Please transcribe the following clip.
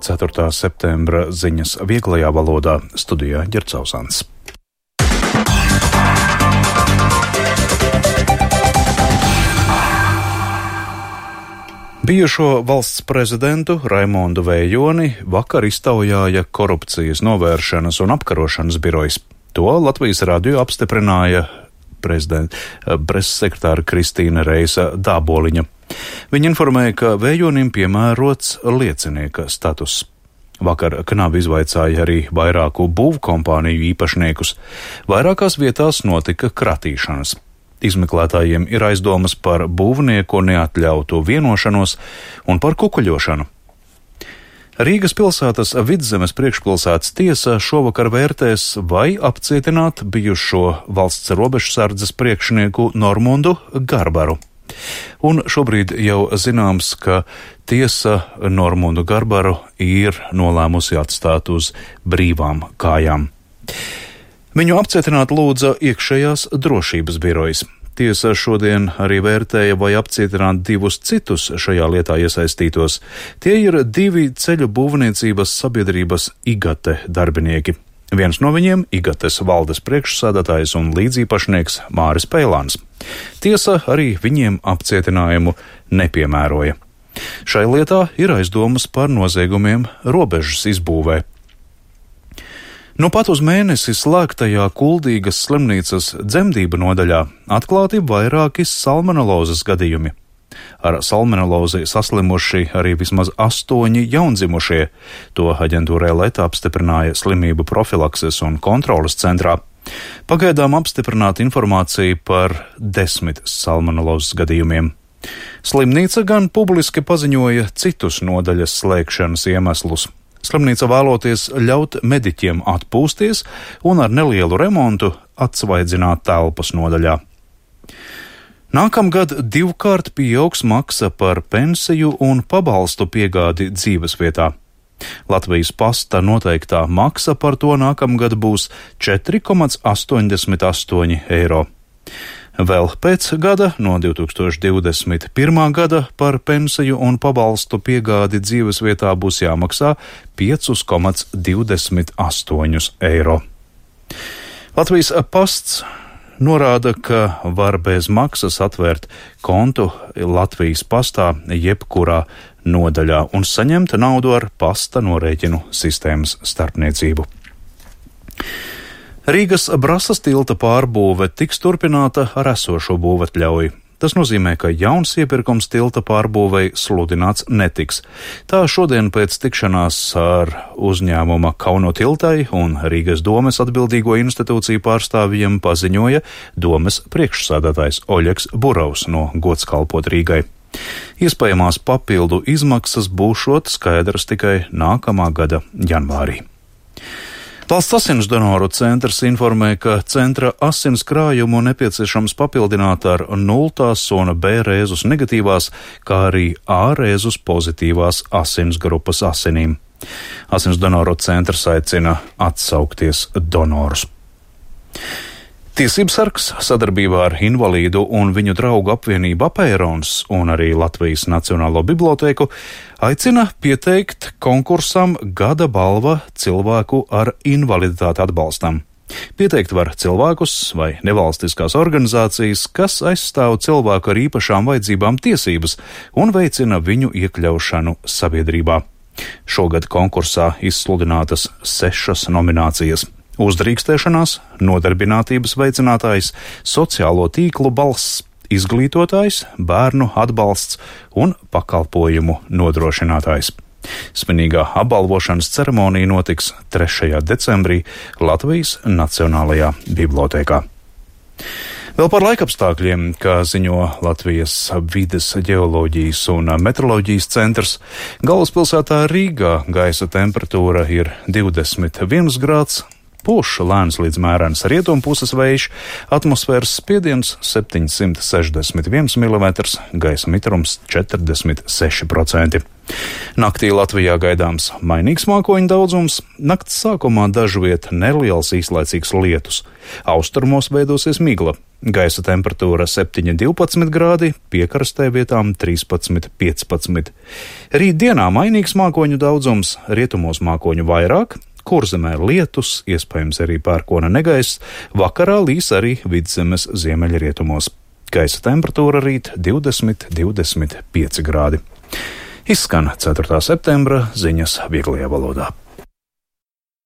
4. septembra ziņas vieglajā valodā, studijā Ģercausans. Bijušo valsts prezidentu Raimondu Vējoni vakar iztaujāja korupcijas novēršanas un apkarošanas birojs. To Latvijas radio apstiprināja preses sekretāra Kristīna Reisa Dāboliņa. Viņa informēja, ka Vējonim piemērots liecinieka status. Vakar knabi izvaicāja arī vairāku būvkompāniju īpašniekus. Vairākās vietās notika kratīšanas. Izmeklētājiem ir aizdomas par būvnieku neatļautu vienošanos un par kukuļošanu. Rīgas pilsētas Vidzemes priekšpilsētas tiesa šovakar vērtēs, vai apcietināt bijušo valsts robežsardzes priekšnieku Normundu Garbaru. Un šobrīd jau zināms, ka tiesa Normundu Garbaru ir nolēmusi atstāt uz brīvām kājām. Viņu apcietināt lūdza iekšējās drošības birojas. Tiesa šodien arī vērtēja, vai apcietināt divus citus šajā lietā iesaistītos. Tie ir divi ceļu būvniecības sabiedrības Igate darbinieki. Viens no viņiem - Igates valdes priekšsēdētājs un līdzīpašnieks Māris Peilāns. Tiesa arī viņiem apcietinājumu nepiemēroja. Šai lietā ir aizdomas par noziegumiem robežas izbūvē. Nu pat uz mēnesi slēgtajā Kuldīgas slimnīcas dzemdību nodaļā atklāti vairāki salmonelozes gadījumi. Ar salmonelozi saslimuši arī vismaz 8 jaundzimušie. To aģentūrai Leta apstiprināja slimību profilakses un kontroles centrā. Pagaidām apstiprināta informācija par 10 salmonelozes gadījumiem. Slimnīca gan publiski paziņoja citus nodaļas slēgšanas iemeslus. Slimnīca vēloties ļaut mediķiem atpūsties un ar nelielu remontu atsvaidzināt telpas nodaļā. Nākamgad 2-kārt pieaugs maksa par pensiju un pabalstu piegādi dzīvesvietā. Latvijas pasta noteiktā maksa par to nākamgad būs 4,88 eiro. Vēl pēc gada, no 2021. gada, par pensiju un pabalstu piegādi dzīvesvietā būs jāmaksā 5,28 eiro. Latvijas pasts norāda, ka var bez maksas atvērt kontu Latvijas pastā jebkurā nodaļā un saņemt naudu ar pasta norēķinu sistēmas starpniecību. Rīgas Brasas tilta pārbūve tiks turpināta ar esošo būvatļauju. Tas nozīmē, ka jauns iepirkums tilta pārbūvei sludināts netiks. Tā šodien pēc tikšanās ar uzņēmuma Kauno tiltai un Rīgas domes atbildīgo institūciju pārstāvjiem paziņoja domes priekšsēdētājs Oļegs Burovs no Gods kalpot Rīgai. Iespējamās papildu izmaksas būšot skaidrs tikai nākamā gada janvārī. Valsts asins donoru centrs informē, ka centra asins krājumu nepieciešams papildināt ar 0 un B rēzus negatīvās, kā arī A rēzus pozitīvās asins grupas asinīm. Asins donoru centrs aicina atsaukties donorus. Tiesības sargs sadarbībā ar Invalīdu un viņu draugu apvienību Apērons un arī Latvijas Nacionālo bibliotēku aicina pieteikt konkursam Gada balva cilvēku ar invaliditāti atbalstam. Pieteikt var cilvēkus vai nevalstiskās organizācijas, kas aizstāv cilvēku ar īpašām vajadzībām tiesības un veicina viņu iekļaušanu sabiedrībā. Šogad konkursā izsludinātas 6 nominācijas. Uzdrīkstēšanās, nodarbinātības veicinātājs, sociālo tīklu balss, izglītotājs, bērnu atbalsts un pakalpojumu nodrošinātājs. Svinīgā apbalvošanas ceremonija notiks 3. decembrī Latvijas Nacionālajā bibliotēkā. Vēl par laikapstākļiem, kā ziņo Latvijas vides, ģeoloģijas un meteoroloģijas centrs, galvaspilsētā Rīgā gaisa temperatūra ir 21 grāds, Pūš lēns līdz mērens rietumpuses vējš, atmosfēras spiediens 761 mm, gaisa mitrums 46%. Naktī Latvijā gaidāms mainīgs mākoņu daudzums, nakts sākumā dažviet neliels īslaicīgs lietus. Austrumos veidosies migla, gaisa temperatūra 7–12 grādi, piekrastē vietām 13–15. Rīt dienā mainīgs mākoņu daudzums, rietumos mākoņu vairāk, Kurzemē lietus, iespējams arī pērkona negaiss, vakarā līs arī Vidzemes ziemeļrietumos. Gaisa temperatūra rīt 20–25 grādi. Izskan 4. septembra ziņas vieglajā valodā.